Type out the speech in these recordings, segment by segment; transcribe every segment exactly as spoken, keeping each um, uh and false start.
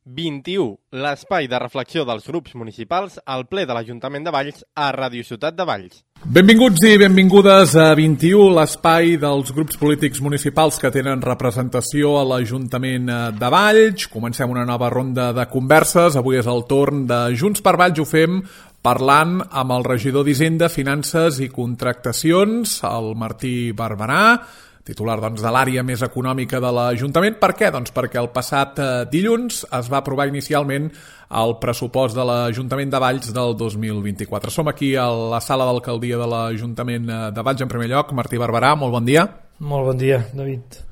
vint-i-u, l'espai de reflexió dels grups municipals al ple de l'Ajuntament de Valls a Ràdio Ciutat de Valls. Benvinguts i benvingudes a vint-i-u, l'espai dels grups polítics municipals que tenen representació a l'Ajuntament de Valls. Comencem una nova ronda de converses. Avui és el torn de Junts per Valls. Ho fem parlant amb el regidor d'Hisenda, Finances i Contractacions, el Martí Barberà, titular doncs, de l'àrea més econòmica de l'Ajuntament. Per què? Doncs perquè el passat eh, dilluns es va aprovar inicialment el pressupost de l'Ajuntament de Valls del dos mil vint-i-quatre. Som aquí a la sala d'alcaldia de l'Ajuntament de Valls. En primer lloc, Martí Barberà, molt bon dia. Molt bon dia, David.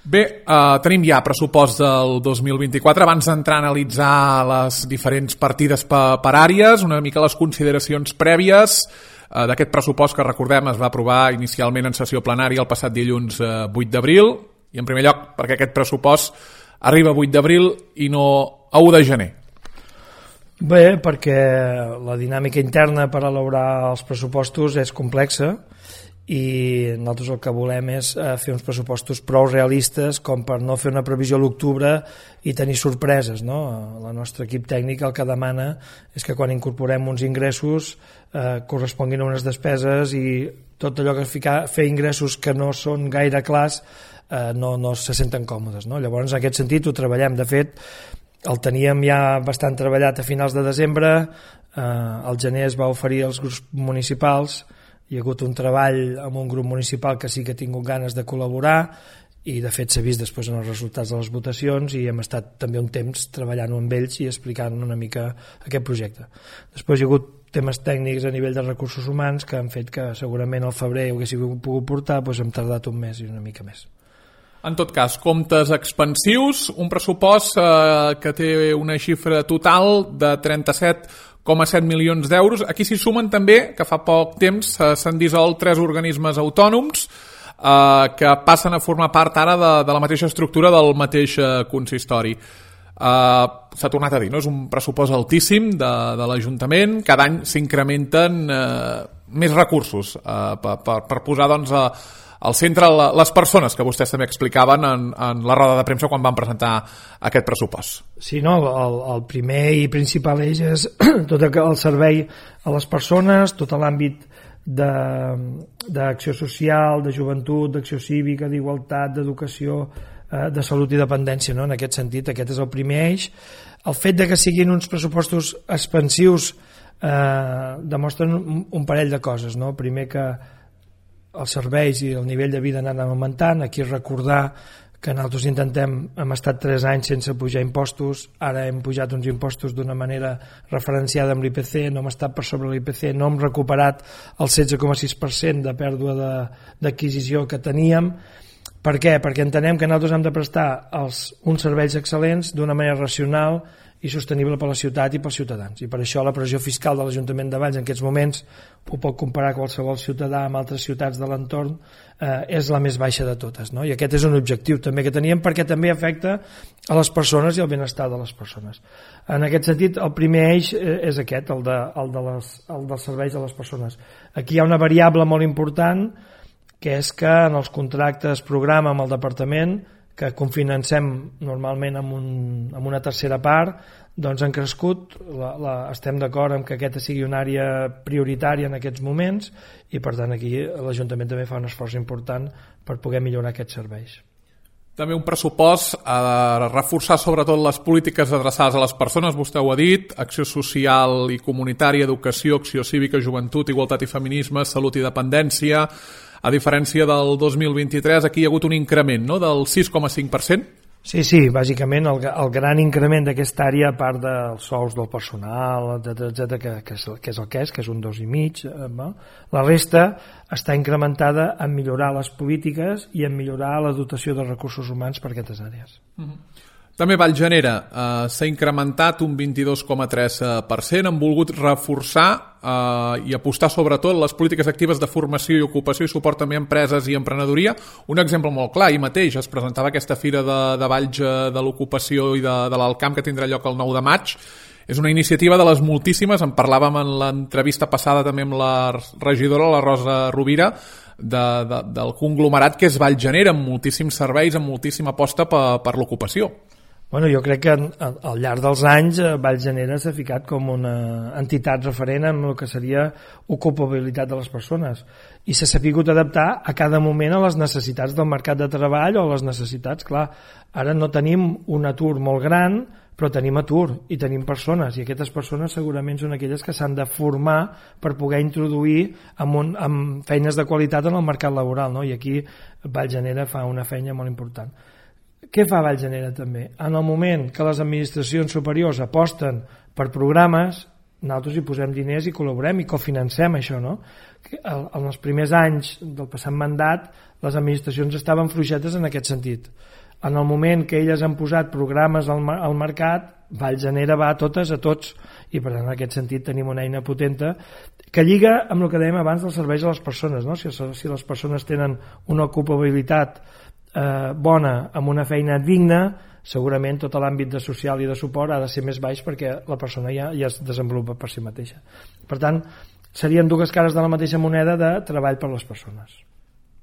Bé, eh, tenim ja pressupost del dos mil vint-i-quatre. Abans d'entrar a analitzar les diferents partides per, per àrees, una mica les consideracions prèvies d'aquest pressupost que, recordem, es va aprovar inicialment en sessió plenària el passat dilluns eh, vuit d'abril, i en primer lloc perquè aquest pressupost arriba vuit d'abril i no a u de gener. Bé, perquè la dinàmica interna per elaborar els pressupostos és complexa i nosaltres el que volem és fer uns pressupostos prou realistes com per no fer una previsió a l'octubre i tenir sorpreses, no? El nostre equip tècnic el que demana és que quan incorporem uns ingressos eh, corresponguin a unes despeses i tot allò que ficar, fer ingressos que no són gaire clars eh, no, no se senten còmodes, no? Llavors, en aquest sentit, ho treballem. De fet, el teníem ja bastant treballat a finals de desembre, eh, al gener es va oferir als grups municipals. Hi ha hagut un treball amb un grup municipal que sí que ha tingut ganes de col·laborar i de fet s'ha vist després en els resultats de les votacions i hem estat també un temps treballant amb ells i explicant una mica aquest projecte. Després hi ha hagut temes tècnics a nivell de recursos humans que han fet que segurament al febrer ho haguéssim pogut portar, doncs hem tardat un mes i una mica més. En tot cas, comptes expansius, un pressupost eh, que té una xifra total de trenta-set coma set milions d'euros. Aquí s'hi sumen també, que fa poc temps eh, s'han dissolt tres organismes autònoms eh, que passen a formar part ara de, de la mateixa estructura del mateix eh, consistori. Eh, s'ha tornat a dir, no? És un pressupost altíssim de, de l'Ajuntament. Cada any s'incrementen eh, més recursos eh, per, per, per posar doncs, a al centre les persones que vostès també explicaven en, en la roda de premsa quan van presentar aquest pressupost. Sí, no, el, el primer i principal eix és tot el servei a les persones, tot l'àmbit d'acció social, de joventut, d'acció cívica, d'igualtat, d'educació, eh, de salut i dependència, no? En aquest sentit, aquest és el primer eix. El fet de que siguin uns pressupostos expansius eh, demostren un, un parell de coses, no? Primer que els serveis i el nivell de vida han anat augmentant. Aquí recordar que nosaltres intentem, hem estat tres anys sense pujar impostos, ara hem pujat uns impostos d'una manera referenciada amb l'I P C, no hem estat per sobre l'I P C, no hem recuperat el setze coma sis per cent de pèrdua d'adquisició que teníem. Per què? Perquè entenem que nosaltres hem de prestar els, uns serveis excel·lents d'una manera racional i sostenible per la ciutat i pels ciutadans, i per això la pressió fiscal de l'Ajuntament de Valls en aquests moments, ho pot comparar qualsevol ciutadà amb altres ciutats de l'entorn, eh, és la més baixa de totes, no? I aquest és un objectiu també que teníem perquè també afecta a les persones i al benestar de les persones. En aquest sentit, el primer eix és aquest, el, de, el, de les, el dels serveis a les persones. Aquí hi ha una variable molt important, que és que en els contractes programa amb el departament, que confinancem normalment amb, un, amb una tercera part, doncs han crescut, la, la, estem d'acord en que aquesta sigui una àrea prioritària en aquests moments i per tant aquí l'Ajuntament també fa un esforç important per poder millorar aquests serveis. També un pressupost a reforçar sobretot les polítiques adreçades a les persones, vostè ho ha dit, acció social i comunitària, educació, acció cívica, joventut, igualtat i feminisme, salut i dependència. A diferència del dos mil vint-i-tres, aquí hi ha hagut un increment, no?, del sis coma cinc per cent. Sí, sí, bàsicament el, el gran increment d'aquesta àrea, a part dels sous del personal, etcètera, etcètera, que, que, és, que és el que és, que és un dos i mig, no? La resta està incrementada en millorar les polítiques i en millorar la dotació de recursos humans per a aquestes àrees. Mm-hmm. També Vallgenera eh, s'ha incrementat un vint-i-dos coma tres per cent. Han volgut reforçar eh, i apostar sobretot les polítiques actives de formació i ocupació i suport també a empreses i emprenedoria. Un exemple molt clar, ahir mateix es presentava aquesta fira de, de Valls de l'ocupació i de, de l'Alcamp que tindrà lloc el nou de maig. És una iniciativa de les moltíssimes, en parlàvem en l'entrevista passada també amb la regidora, la Rosa Rovira, de, de, del conglomerat que és Vallgenera, amb moltíssims serveis, amb moltíssima aposta per, per l'ocupació. Bueno, jo crec que al llarg dels anys Vallgenera s'ha ficat com una entitat referent en el que seria ocupabilitat de les persones i s'ha sapigut adaptar a cada moment a les necessitats del mercat de treball o a les necessitats, clar, ara no tenim un atur molt gran, però tenim atur i tenim persones i aquestes persones segurament són aquelles que s'han de formar per poder introduir amb, un, amb feines de qualitat en el mercat laboral, no? I aquí Vallgenera fa una feina molt important. Què fa Vallgenera també? En el moment que les administracions superiors aposten per programes, nosaltres hi posem diners i col·laborem i cofinancem això, no? En els primers anys del passat mandat les administracions estaven fluixetes en aquest sentit. En el moment que elles han posat programes al, al mercat, Vallgenera va a totes, a tots, i per tant en aquest sentit tenim una eina potenta que lliga amb el que dèiem abans dels serveis a les persones, no? Si, si les persones tenen una ocupabilitat Eh, bona, amb una feina digna, segurament tot l'àmbit de social i de suport ha de ser més baix perquè la persona ja, ja es desenvolupa per si mateixa. Per tant, serien dues cares de la mateixa moneda de treball per les persones.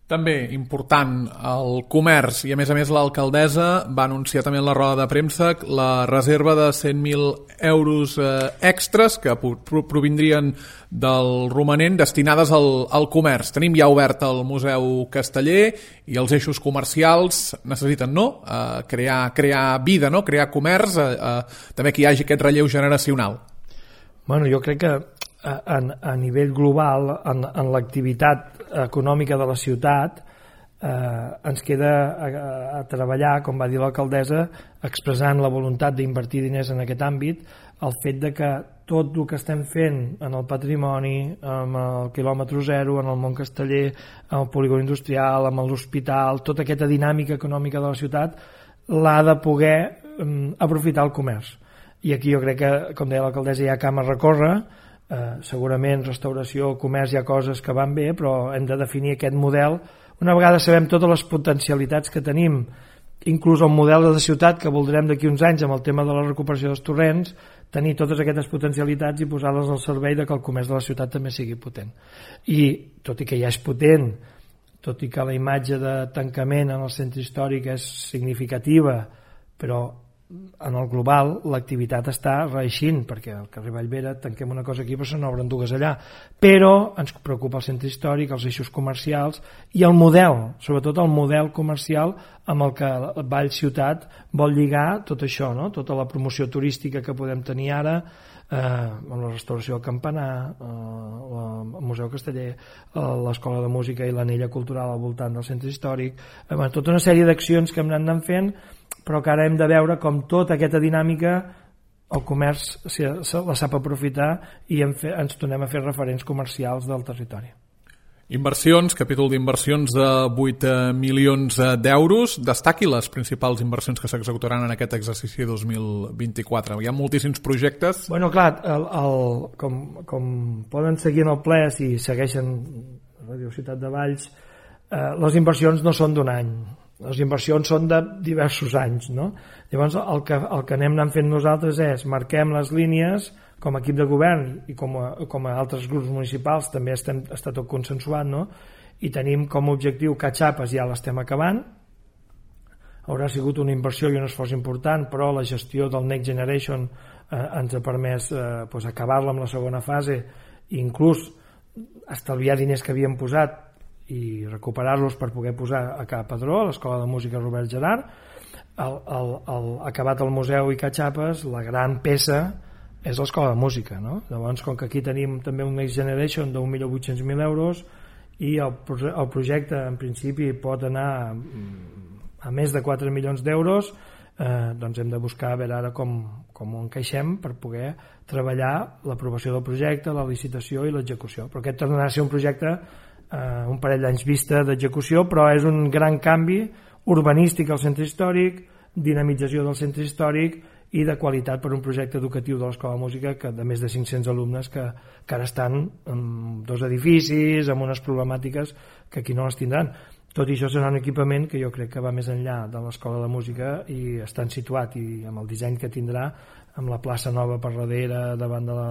També important el comerç i a més a més l'alcaldessa va anunciar també en la roda de premsa la reserva de cent mil euros eh, extras que provindrien del romanent destinades al, al comerç. Tenim ja obert el Museu Casteller i els eixos comercials necessiten no? Eh, crear, crear vida, no? Crear comerç, eh, eh, també que hi hagi aquest relleu generacional. Bueno, jo crec que a, a nivell global en, en l'activitat econòmica de la ciutat eh, ens queda a, a treballar, com va dir l'alcaldessa, expressant la voluntat d'invertir diners en aquest àmbit, el fet de que tot el que estem fent en el patrimoni, amb el quilòmetre zero, en el món casteller, en el polígon industrial, amb l'hospital, tota aquesta dinàmica econòmica de la ciutat l'ha de poder um, aprofitar el comerç. I aquí jo crec que, com deia l'alcaldessa, hi ha camp a recórrer. Eh, segurament restauració, comerç, hi ha coses que van bé, però hem de definir aquest model. Una vegada sabem totes les potencialitats que tenim, inclús el model de ciutat que voldrem d'aquí uns anys amb el tema de la recuperació dels torrents, tenir totes aquestes potencialitats i posar-les al servei de que el comerç de la ciutat també sigui potent. I tot i que ja és potent, tot i que la imatge de tancament en el centre històric és significativa, però en el global l'activitat està reeixint, perquè al carrer Vallvera tanquem una cosa aquí però se n'obren dues allà, però ens preocupa el centre històric, els eixos comercials i el model, sobretot el model comercial amb el que Vall Ciutat vol lligar tot això, no? Tota la promoció turística que podem tenir ara, eh, amb la restauració del Campanar, eh, el Museu Casteller, eh, l'Escola de Música i l'Anella Cultural al voltant del centre històric, eh, tota una sèrie d'accions que hem anat fent, però que ara hem de veure com tota aquesta dinàmica el comerç se la sap aprofitar i ens tornem a fer referents comercials del territori. Inversions, capítol d'inversions de vuit milions d'euros. Destaqui les principals inversions que s'executaran en aquest exercici dos mil vint-i-quatre. Hi ha moltíssims projectes. Bueno, clar, el, el, com, com poden seguir en el ple si segueixen Radio Ciutat de Valls, eh, les inversions no són d'un any. Les inversions són de diversos anys, no? Llavors el que, el que anem anant fent nosaltres és marquem les línies com a equip de govern i com a, com a altres grups municipals també estem, està tot consensuat, no? I tenim com a objectiu que Xapes ja l'estem acabant, haurà sigut una inversió i un esforç important, però la gestió del Next Generation eh, ens ha permès eh, pues, acabar-la amb la segona fase i inclús estalviar diners que havíem posat i recuperar-los per poder posar a Ca Padró, a l'Escola de Música Robert Gerard. El, el, el, acabat el museu i Catxapes, la gran peça és l'Escola de Música, no? Llavors, com que aquí tenim també un Next Generation d'un milió vuit-cents mil euros i el, el projecte en principi pot anar a més de quatre milions d'euros, eh, doncs hem de buscar a veure ara com, com ho encaixem per poder treballar l'aprovació del projecte, la licitació i l'execució. Però aquest tornarà a ser un projecte Uh, un parell d'anys vista d'execució, però és un gran canvi urbanístic al centre històric, dinamització del centre històric i de qualitat per un projecte educatiu de l'Escola de Música que de més de cinc-cents alumnes que, que ara estan en dos edificis amb unes problemàtiques que aquí no les tindran. Tot i això serà un equipament que jo crec que va més enllà de l'Escola de Música i està situat i amb el disseny que tindrà amb la plaça nova per darrere davant de la,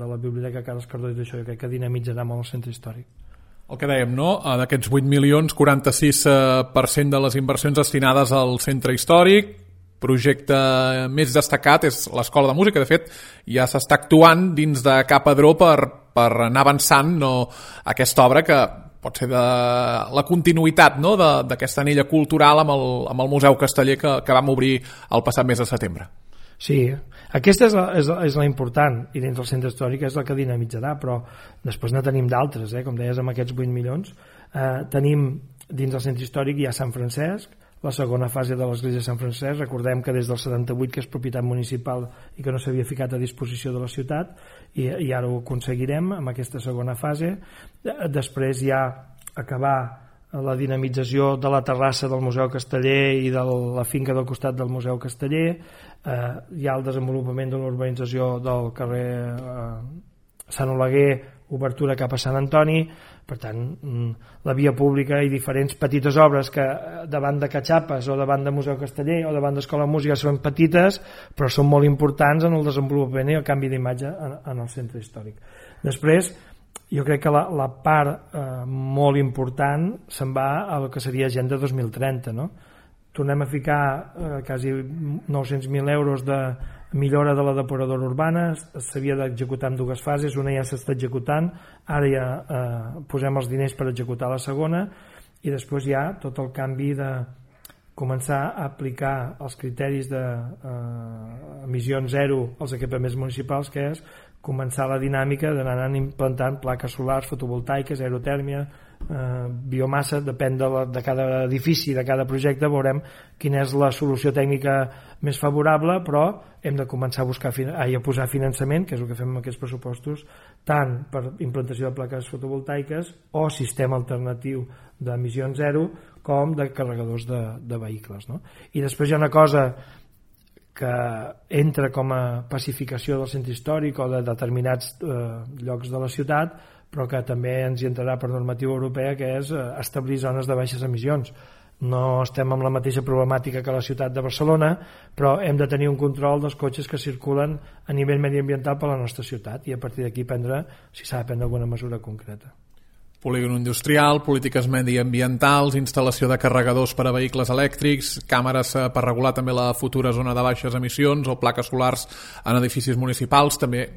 de la Biblioteca Carles Cardó i d'això, jo crec que dinamitzarà molt el centre històric. El que dèiem, no? D'aquests vuit milions, quaranta-sis per cent de les inversions destinades al centre històric, projecte més destacat és l'Escola de Música. De fet, ja s'està actuant dins de Capadró per, per anar avançant, no, aquesta obra que pot ser de la continuïtat, no, d'aquesta anella cultural amb el, amb el Museu Casteller que, que vam obrir el passat mes de setembre. Sí, aquesta és la, és, la, és la important, i dins del centre històric és la que dinamitzarà, però després ne tenim d'altres, eh? Com deies, amb aquests vuit milions. Eh, tenim dins del centre històric ja Sant Francesc, la segona fase de l'església de Sant Francesc. Recordem que des del setanta-vuit que és propietat municipal i que no s'havia ficat a disposició de la ciutat, i, i ara ho aconseguirem amb aquesta segona fase. Després ja acabar la dinamització de la terrassa del Museu Casteller i de la finca del costat del Museu Casteller. Eh, hi ha el desenvolupament de l'urbanització del carrer eh, Sant Oleguer, obertura cap a Sant Antoni. Per tant, la via pública i diferents petites obres que davant de Catxapes o davant de Museu Casteller o davant d'Escola de Música són petites, però són molt importants en el desenvolupament i el canvi d'imatge en, en el centre històric. Després, jo crec que la, la part eh, molt important se'n va a el que seria Agenda dos mil trenta, no? Tornem a ficar eh, quasi nou-cents mil euros de millora de la depuradora urbana. S'havia d'executar en dues fases, una ja s'està executant, ara ja eh, posem els diners per executar la segona, i després ja tot el canvi de començar a aplicar els criteris d'emissions eh, zero als equipaments municipals, que és començar la dinàmica d'anar implantant plaques solars, fotovoltaiques, aerotèrmia, eh, biomassa, depèn de, la, de cada edifici, de cada projecte, veurem quina és la solució tècnica més favorable, però hem de començar a buscar a posar finançament, que és el que fem amb aquests pressupostos, tant per implantació de plaques fotovoltaiques o sistema alternatiu d'emissions zero, com de carregadors de, de vehicles, no? I després hi ha una cosa que entra com a pacificació del centre històric o de determinats eh, llocs de la ciutat, però que també ens hi entrarà per normativa europea, que és eh, establir zones de baixes emissions. No estem amb la mateixa problemàtica que la ciutat de Barcelona, però hem de tenir un control dels cotxes que circulen a nivell mediambiental per la nostra ciutat, i a partir d'aquí prendre, si s'ha de prendre alguna mesura concreta. Polígon industrial, polítiques mediambientals, instal·lació de carregadors per a vehicles elèctrics, càmeres per regular també la futura zona de baixes emissions o plaques solars en edificis municipals. També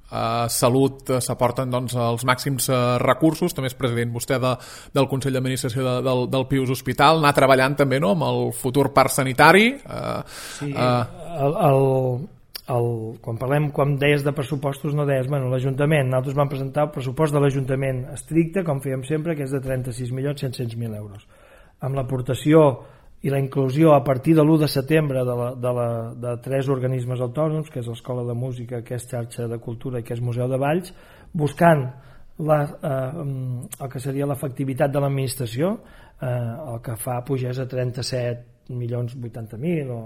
a Salut s'aporten doncs, els màxims recursos. També és president vostè de, del Consell d'Administració de, del, del Pius Hospital. Anar treballant també, no?, amb el futur parc sanitari. Eh, sí, eh, el... el... El, quan parlem, quan deies de pressupostos, no deies, bueno, l'Ajuntament, nosaltres vam presentar el pressupost de l'Ajuntament estricte, com fèiem sempre, que és de trenta-sis milions set-cents mil euros. Amb l'aportació i la inclusió a partir de l'u de setembre de, la, de, la, de tres organismes autònoms, que és l'Escola de Música, que és Xarxa de Cultura i que és Museu de Valls, buscant la, eh, el que seria l'efectivitat de l'administració, eh, el que fa pugés a trenta-set milions vuitanta mil o...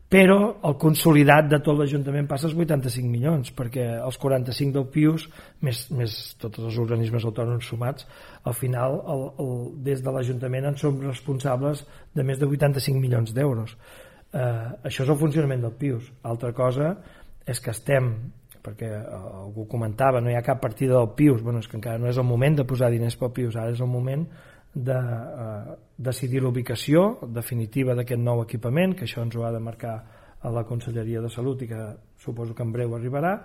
però el consolidat de tot l'Ajuntament passa als vuitanta-cinc milions, perquè els quaranta-cinc del Pius, més, més tots els organismes autònoms sumats, al final el, el, des de l'Ajuntament en som responsables de més de vuitanta-cinc milions d'euros. Eh, això és el funcionament del Pius. Altra cosa és que estem, perquè algú comentava, no hi ha cap partida del Pius, bueno, és que encara no és el moment de posar diners pel Pius, ara és el moment de eh, decidir l'ubicació definitiva d'aquest nou equipament, que això ens ho ha de marcar a la Conselleria de Salut i que suposo que en breu arribarà,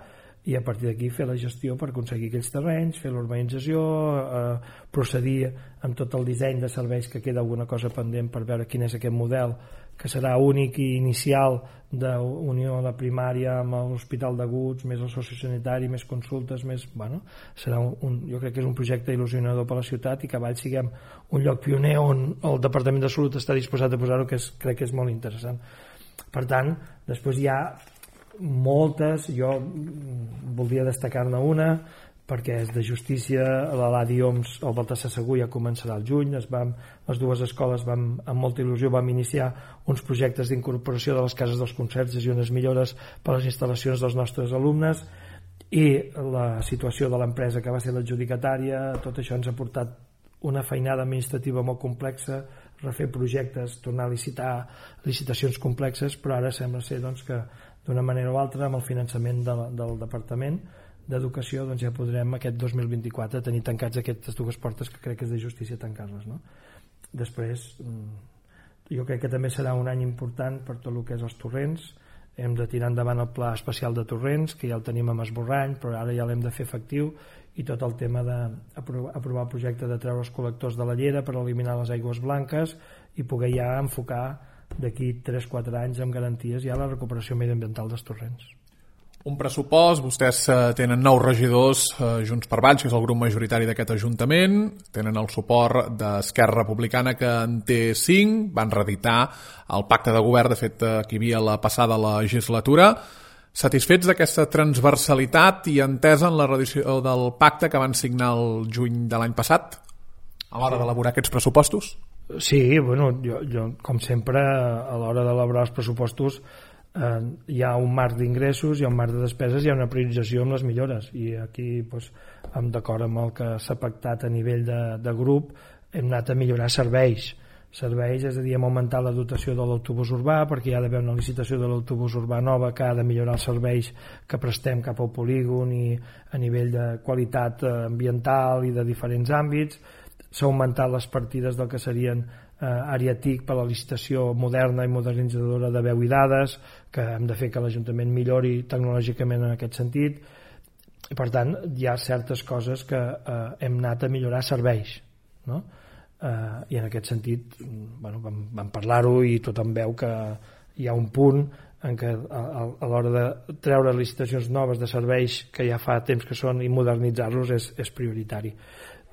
i a partir d'aquí fer la gestió per aconseguir aquells terrenys, fer l'urbanització, eh, procedir amb tot el disseny de serveis, que queda alguna cosa pendent per veure quin és aquest model que serà únic i inicial d'unió a la primària amb l'Hospital d'Aguts, més el sociosanitari, més consultes, més, bueno, serà un, jo crec que és un projecte il·lusionador per a la ciutat, i que a Valls siguem un lloc pioner on el Departament de Salut està disposat a posar-ho, que és, crec que és molt interessant. Per tant, després hi ha moltes, jo voldria destacar-ne una, perquè és de justícia, l'Eladi Oms, el Baltasar Segur ja començarà al juny, es van, les dues escoles van, amb molta il·lusió vam iniciar uns projectes d'incorporació de les cases dels concerts i unes millores per a les instal·lacions dels nostres alumnes, i la situació de l'empresa que va ser l'adjudicatària, tot això ens ha portat una feinada administrativa molt complexa, refer projectes, tornar a licitar licitacions complexes, però ara sembla ser doncs, que d'una manera o altra, amb el finançament de, del Departament d'Educació, doncs ja podrem aquest dos mil vint-i-quatre tenir tancats aquestes dues portes, que crec que és de justícia tancar-les, no? Després, jo crec que també serà un any important per tot el que és els torrents. Hem de tirar endavant el pla especial de torrents, que ja el tenim amb esborrany, però ara ja l'hem de fer efectiu, i tot el tema d'aprovar el projecte de treure els col·lectors de la llera per eliminar les aigües blanques i poder ja enfocar d'aquí tres a quatre anys amb garanties ja la recuperació mediambiental dels torrents. Un pressupost, vostès tenen nou regidors eh, Junts per Valls, que és el grup majoritari d'aquest Ajuntament, tenen el suport d'Esquerra Republicana, que en té cinc, van reeditar el pacte de govern, de fet, eh, que hi havia la passada legislatura. Satisfets d'aquesta transversalitat i entesa en la reedició del pacte que van signar el juny de l'any passat a l'hora d'elaborar aquests pressupostos? Sí, bueno, jo, jo com sempre, a l'hora d'elaborar els pressupostos eh, hi ha un marc d'ingressos, hi ha un marc de despeses, hi ha una priorització amb les millores, i aquí doncs, d'acord amb el que s'ha pactat a nivell de, de grup, hem anat a millorar serveis serveis, és a dir, hem augmentat la dotació de l'autobús urbà, perquè hi ha d'haver una licitació de l'autobús urbà nova que ha de millorar els serveis que prestem cap al polígon i a nivell de qualitat ambiental i de diferents àmbits. S'ha augmentat les partides del que serien eh, àrea T I C per a la licitació moderna i modernitzadora de veu i dades, que hem de fer que l'Ajuntament millori tecnològicament en aquest sentit. I, per tant, hi ha certes coses que eh, hem anat a millorar serveis, no? Uh, i en aquest sentit bueno, vam, vam parlar-ho i tothom veu que hi ha un punt en què a, a, a l'hora de treure licitacions noves de serveis que ja fa temps que són i modernitzar-los és, és prioritari.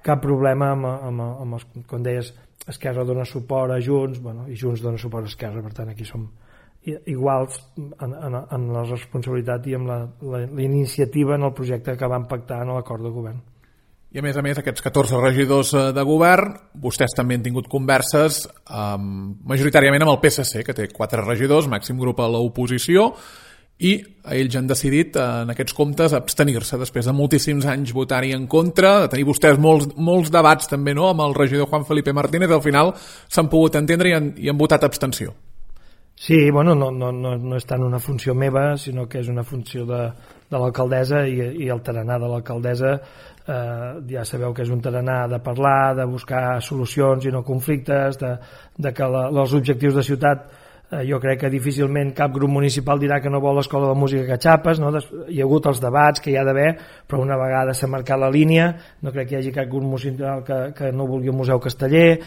Cap problema amb, amb, amb els, com deies, Esquerra dona suport a Junts, bueno, i Junts dona suport a Esquerra, per tant aquí som iguals en, en, en la responsabilitat i amb la, la, la iniciativa en el projecte que vam pactar en l'acord de govern. I a més a més, aquests catorze regidors de govern, vostès també han tingut converses um, majoritàriament amb el P S C, que té quatre regidors, màxim grup a l'oposició, i ells han decidit en aquests comptes abstenir-se després de moltíssims anys votar-hi en contra, de tenir vostès molts, molts debats també, no?, amb el regidor Juan Felipe Martínez, al final s'han pogut entendre i han, i han votat abstenció. Sí, bueno, no, no, no, no és tant una funció meva, sinó que és una funció de, de l'alcaldessa i, i el tarannà de l'alcaldessa. Eh, ja sabeu que és un tarannà de parlar, de buscar solucions i no conflictes, de, de que la, els objectius de ciutat, eh, jo crec que difícilment cap grup municipal dirà que no vol l'escola de música que xapes, no? Hi ha hagut els debats que hi ha d'haver, però una vegada s'ha marcat la línia, no crec que hi hagi cap grup municipal que, que no vulgui un museu casteller.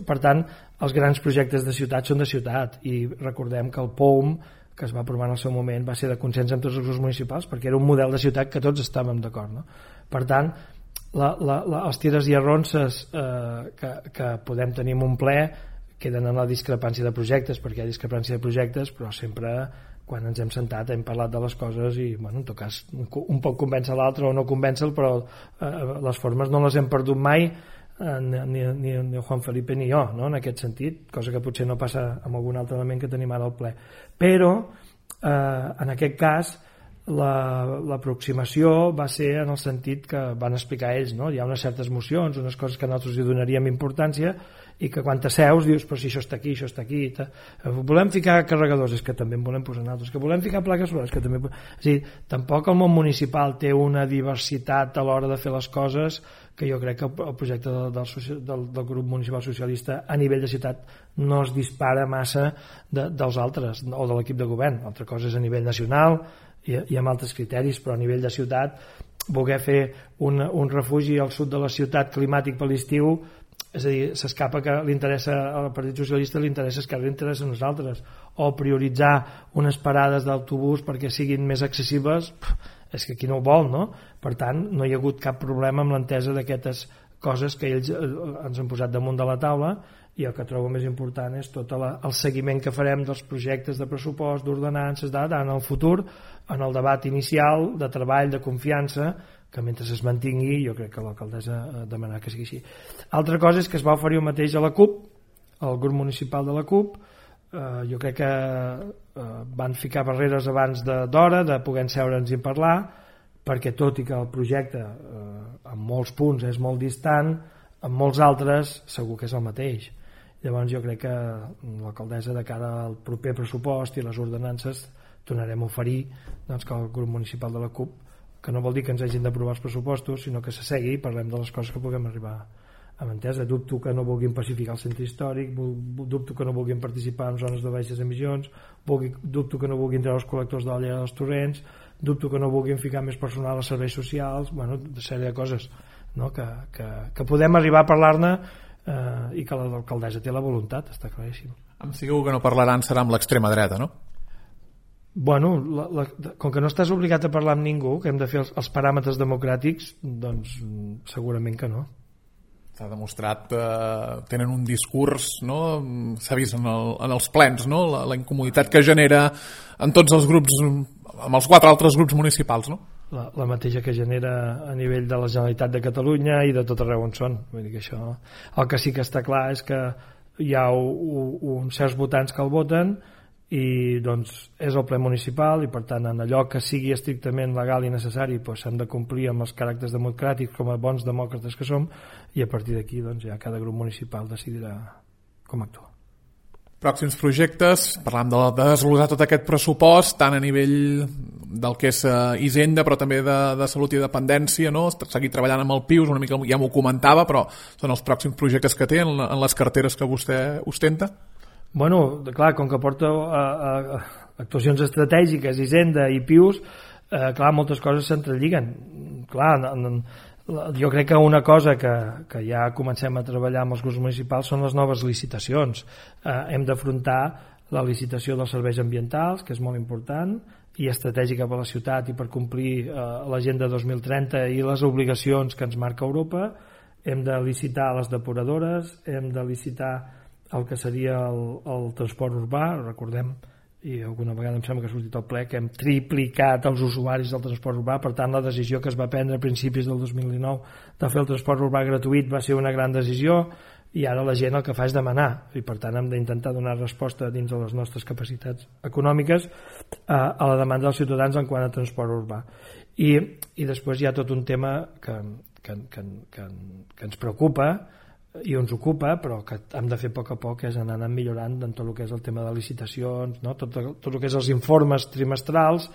Per tant, els grans projectes de ciutat són de ciutat, i recordem que el P O U M, que es va aprovar en el seu moment, va ser de consens amb tots els grups municipals, perquè era un model de ciutat que tots estàvem d'acord, no? Per tant, la, la, la, els tires i arronses eh, que, que podem tenir en un ple queden en la discrepància de projectes, perquè hi ha discrepància de projectes, però sempre quan ens hem sentat hem parlat de les coses i, bueno, en tot cas, un, un pot convèncer l'altre o no convèncer-lo, però eh, les formes no les hem perdut mai, eh, ni, ni, ni Juan Felipe ni jo, no?, en aquest sentit, cosa que potser no passa amb algun altre element que tenim ara al ple. Però, eh, en aquest cas, l'aproximació va ser en el sentit que van explicar ells, no? Hi ha unes certes mocions, unes coses que nosaltres hi donaríem importància i que quan t'asseus dius, però si això està aquí, això està aquí, ta... volem ficar carregadors, és que també en volem posar altres, que volem ficar plaques solars, que també... És a dir, tampoc el món municipal té una diversitat a l'hora de fer les coses que jo crec que el projecte del, del, del, del grup municipal socialista a nivell de ciutat no es dispara massa de, dels altres, o de l'equip de govern. Altra cosa és a nivell nacional i, i amb altres criteris, però a nivell de ciutat voler fer un, un refugi al sud de la ciutat climàtic per l'estiu, és a dir, s'escapa que li interessa al Partit Socialista, li interessa que li interessa a nosaltres, o prioritzar unes parades d'autobús perquè siguin més accessibles, és que qui no ho vol, no? Per tant, no hi ha hagut cap problema amb l'entesa d'aquestes coses que ells ens han posat damunt de la taula, i el que trobo més important és tot la, el seguiment que farem dels projectes de pressupost, d'ordenances, en el futur, en el debat inicial, de treball, de confiança, que mentre es mantingui, jo crec que l'alcaldessa demanarà que sigui així. Altra cosa és que es va oferir el mateix a la CUP, al grup municipal de la CUP, eh, jo crec que eh, van ficar barreres abans d'hora, de, de poder seure'ns i parlar, perquè tot i que el projecte eh, en molts punts és molt distant, en molts altres segur que és el mateix. Llavors jo crec que l'alcaldessa, de cara al proper pressupost i les ordenances, tornarem a oferir, doncs, que el grup municipal de la CUP, que no vol dir que ens hagin d'aprovar els pressupostos, sinó que s'assegui i parlem de les coses que puguem arribar amb entesa, dubto que no vulguin pacificar el centre històric, dubto que no vulguin participar en zones de baixes emissions, dubto que no vulguin treure els col·lectors de la llera dels torrents, dubto que no vulguin ficar més personal als serveis socials, bueno, una sèrie de coses, no? que, que, que podem arribar a parlar-ne eh, i que l'alcaldessa té la voluntat, està claríssim. Em segur que no parlaran serà amb l'extrema dreta, no? Bueno, la, la, com que no estàs obligat a parlar amb ningú, que hem de fer els, els paràmetres democràtics, doncs segurament que no. S'ha demostrat, eh, tenen un discurs, no? S'ha vist en, el, en els plens, no? la, la incomoditat que genera en tots els grups, amb els quatre altres grups municipals, no? La, la mateixa que genera a nivell de la Generalitat de Catalunya i de tot arreu on són. Vull dir que això, el que sí que està clar és que hi ha un, un certs votants que el voten i doncs és el ple municipal i per tant en allò que sigui estrictament legal i necessari doncs s'han de complir amb els caràcters democràtics com a bons demòcrates que som i a partir d'aquí doncs ja cada grup municipal decidirà com actuar. Pròxims projectes, parlam de, de desglossar tot aquest pressupost tant a nivell del que és uh, Hisenda però també de, de salut i dependència, no? Seguir treballant amb el P I U S, una mica ja m'ho comentava, però són els pròxims projectes que té en, en les carteres que vostè ostenta? Bueno, clar, com que porta a, a, a actuacions estratègiques, Hisenda i P I U S, eh, clar, moltes coses s'entrelliguen. Clar, en, en, jo crec que una cosa que, que ja comencem a treballar amb els grups municipals són les noves licitacions. Eh, hem d'afrontar la licitació dels serveis ambientals, que és molt important, i estratègica per a la ciutat i per complir eh, l'agenda dos mil trenta i les obligacions que ens marca Europa. Hem de licitar les depuradores, hem de licitar el que seria el, el transport urbà, recordem, i alguna vegada em sembla que ha sortit al ple, que hem triplicat els usuaris del transport urbà, per tant la decisió que es va prendre a principis del dos mil dinou de fer el transport urbà gratuït va ser una gran decisió i ara la gent el que fa és demanar i per tant hem d'intentar donar resposta dins de les nostres capacitats econòmiques a, a la demanda dels ciutadans en quant a transport urbà. I, i després hi ha tot un tema que, que, que, que, que ens preocupa i ens ocupa, però que hem de fer a poc a poc, és anar millorant en tot el que és el tema de licitacions, no? tot, tot el que és els informes trimestrals,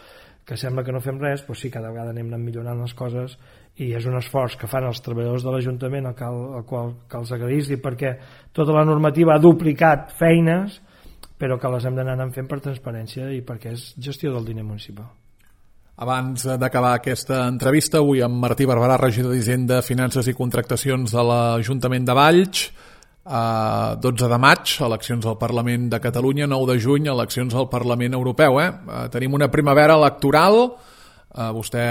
que sembla que no fem res, però sí, cada vegada anem millorant les coses i és un esforç que fan els treballadors de l'Ajuntament al qual, al qual cal agrair-li perquè tota la normativa ha duplicat feines, però que les hem d'anar fent per transparència i perquè és gestió del diner municipal. Abans d'acabar aquesta entrevista, avui amb Martí Barberà, regidor d'Hisenda, Finances i Contractacions de l'Ajuntament de Valls, eh, dotze de maig, eleccions al Parlament de Catalunya, nou de juny, eleccions al Parlament Europeu. Eh? Eh, tenim una primavera electoral, eh, vostè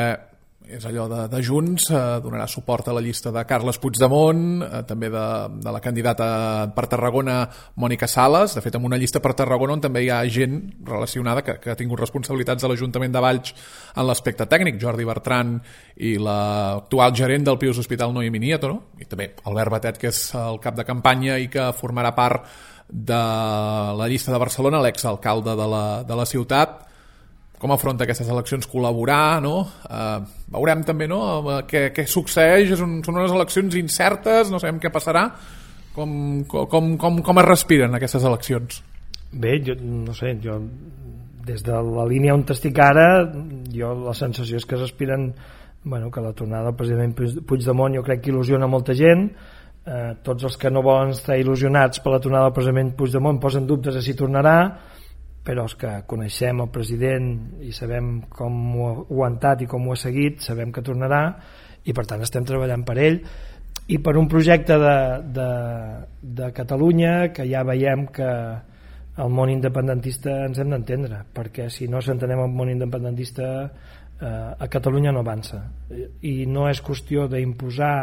és allò de, de Junts, eh, donarà suport a la llista de Carles Puigdemont, eh, també de, de la candidata per Tarragona, Mònica Sales. De fet, en una llista per Tarragona on també hi ha gent relacionada que, que ha tingut responsabilitats de l'Ajuntament de Valls en l'aspecte tècnic, Jordi Bertran i l'actual gerent del P I U S Hospital Noemí Nieto, no? I també Albert Batet, que és el cap de campanya i que formarà part de la llista de Barcelona, l'exalcalde de la, de la ciutat. Com afronta aquestes eleccions, col·laborar, no? Eh, veurem també, no?, què, què succeeix, un, són unes eleccions incertes, no sabem què passarà, com, com, com, com es respiren aquestes eleccions? Bé, jo no sé, jo des de la línia on estic ara, jo la sensació és que es respiren, bueno, que la tornada del president Puigdemont jo crec que il·lusiona molta gent, eh, tots els que no volen estar il·lusionats per la tornada del president Puigdemont posen dubtes a si tornarà, però els que coneixem el president i sabem com ho ha aguantat i com ho ha seguit, sabem que tornarà i per tant estem treballant per ell i per un projecte de, de, de Catalunya que ja veiem que el món independentista ens hem d'entendre, perquè si no s'entenem el món independentista eh, a Catalunya no avança i no és qüestió d'imposar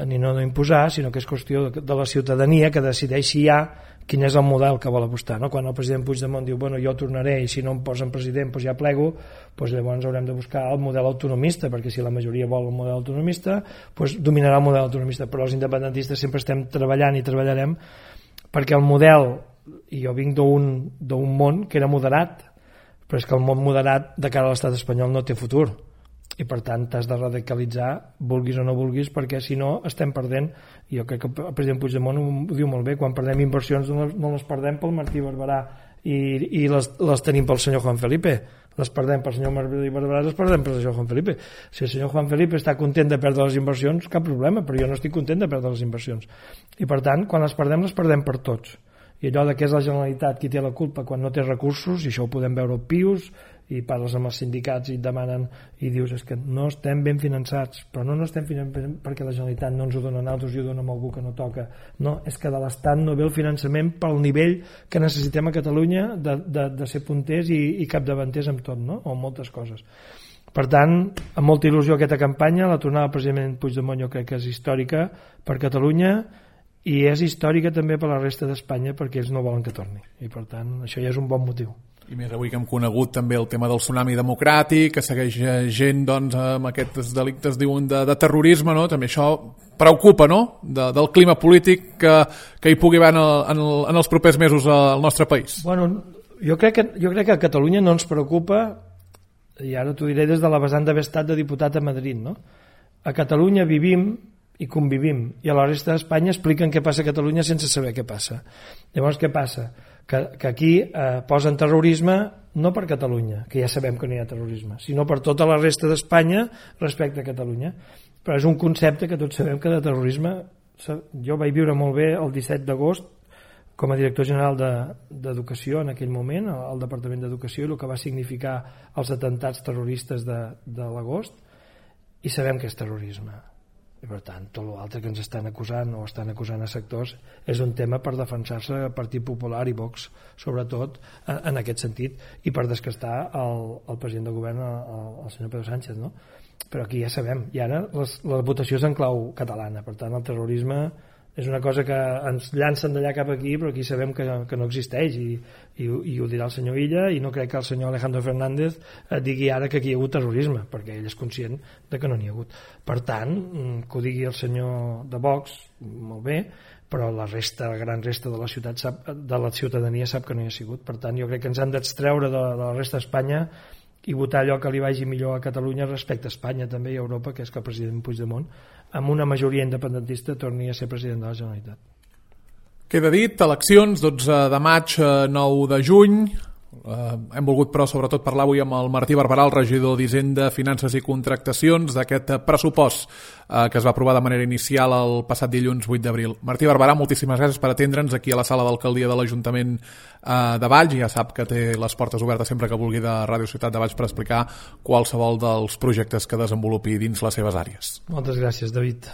ni no d'imposar, sinó que és qüestió de, de la ciutadania que decideixi ja quin és el model que vol apostar, no? Quan el president Puigdemont diu, bueno, jo tornaré i si no em posen president doncs ja plego, doncs llavors haurem de buscar el model autonomista, perquè si la majoria vol el model autonomista doncs dominarà el model autonomista, però els independentistes sempre estem treballant i treballarem perquè el model, i jo vinc d'un món que era moderat, però és que el món moderat de cara a l'estat espanyol no té futur i per tant t'has de radicalitzar vulguis o no vulguis, perquè si no estem perdent, i jo crec que el president Puigdemont ho diu molt bé, quan perdem inversions no les, no les perdem pel Martí Barberà i, i les, les tenim pel senyor Juan Felipe, les perdem pel senyor Martí Barberà, les perdem pel senyor Juan Felipe. Si el senyor Juan Felipe està content de perdre les inversions, cap problema, però jo no estic content de perdre les inversions. I per tant, quan les perdem, les perdem per tots. I allò de que és la Generalitat qui té la culpa quan no té recursos, i això ho podem veure al Pius, i parles amb els sindicats i et demanen, i dius, és que no estem ben finançats, però no no estem finançats perquè la Generalitat no ens ho dona a nosaltres i ho dona a algú que no toca. No, és que de l'Estat no ve el finançament pel nivell que necessitem a Catalunya de, de, de ser punters i, i capdavanters amb tot, no? O amb moltes coses. Per tant, amb molta il·lusió aquesta campanya, la tornada del president Puigdemont jo crec que és històrica per Catalunya i és històrica també per la resta d'Espanya perquè ells no volen que torni. I per tant, això ja és un bon motiu. I més avui que hem conegut també el tema del tsunami democràtic, que segueix gent doncs, amb aquests delictes diuen de, de terrorisme, no? També això preocupa, no? De, del clima polític que, que hi pugui haver en, el, en, el, en els propers mesos al nostre país. Bueno, jo crec que, jo crec que a Catalunya no ens preocupa, i ara t'ho diré des de la vessant d'haver estat de diputat a Madrid, no? A Catalunya vivim i convivim, i a la resta d'Espanya expliquen què passa a Catalunya sense saber què passa. Llavors, què passa? Que, que aquí eh, posen terrorisme no per Catalunya, que ja sabem que no hi ha terrorisme, sinó per tota la resta d'Espanya respecte a Catalunya. Però és un concepte que tots sabem que de terrorisme, jo vaig viure molt bé el disset d'agost com a director general d'Educació de, en aquell moment, al Departament d'Educació, i el que va significar els atentats terroristes de, de l'agost, i sabem que és terrorisme. I per tant, tot l'altre que ens estan acusant o estan acusant a sectors és un tema per defensar-se el Partit Popular i Vox, sobretot en aquest sentit, i per descastar el, el president del govern, el, el senyor Pedro Sánchez, no? Però aquí ja sabem, i ara les, la votació és en clau catalana, per tant el terrorisme és una cosa que ens llancen d'allà cap aquí, però aquí sabem que, que no existeix, i, i, i ho dirà el senyor Illa, i no crec que el senyor Alejandro Fernández digui ara que aquí hi ha hagut terrorisme, perquè ell és conscient de que no n'hi ha hagut. Per tant, que ho digui el senyor de Vox, molt bé, però la resta, la gran resta de la ciutat sap, de la ciutadania sap que no hi ha sigut. Per tant, jo crec que ens han d'extreure de, de la resta d'Espanya i votar allò que li vagi millor a Catalunya respecte a Espanya també i a Europa, que és que el president Puigdemont, amb una majoria independentista, torni a ser president de la Generalitat. Queda dit, eleccions, dotze de maig, nou de juny. Uh, hem volgut però sobretot parlar avui amb el Martí Barberà, el regidor d'Hisenda, Finances i Contractacions, d'aquest pressupost uh, que es va aprovar de manera inicial el passat dilluns vuit d'abril. Martí Barberà, moltíssimes gràcies per atendre'ns aquí a la sala d'alcaldia de l'Ajuntament uh, de Valls. Ja sap que té les portes obertes sempre que vulgui de Ràdio Ciutat de Valls per explicar qualsevol dels projectes que desenvolupi dins les seves àrees. Moltes gràcies, David.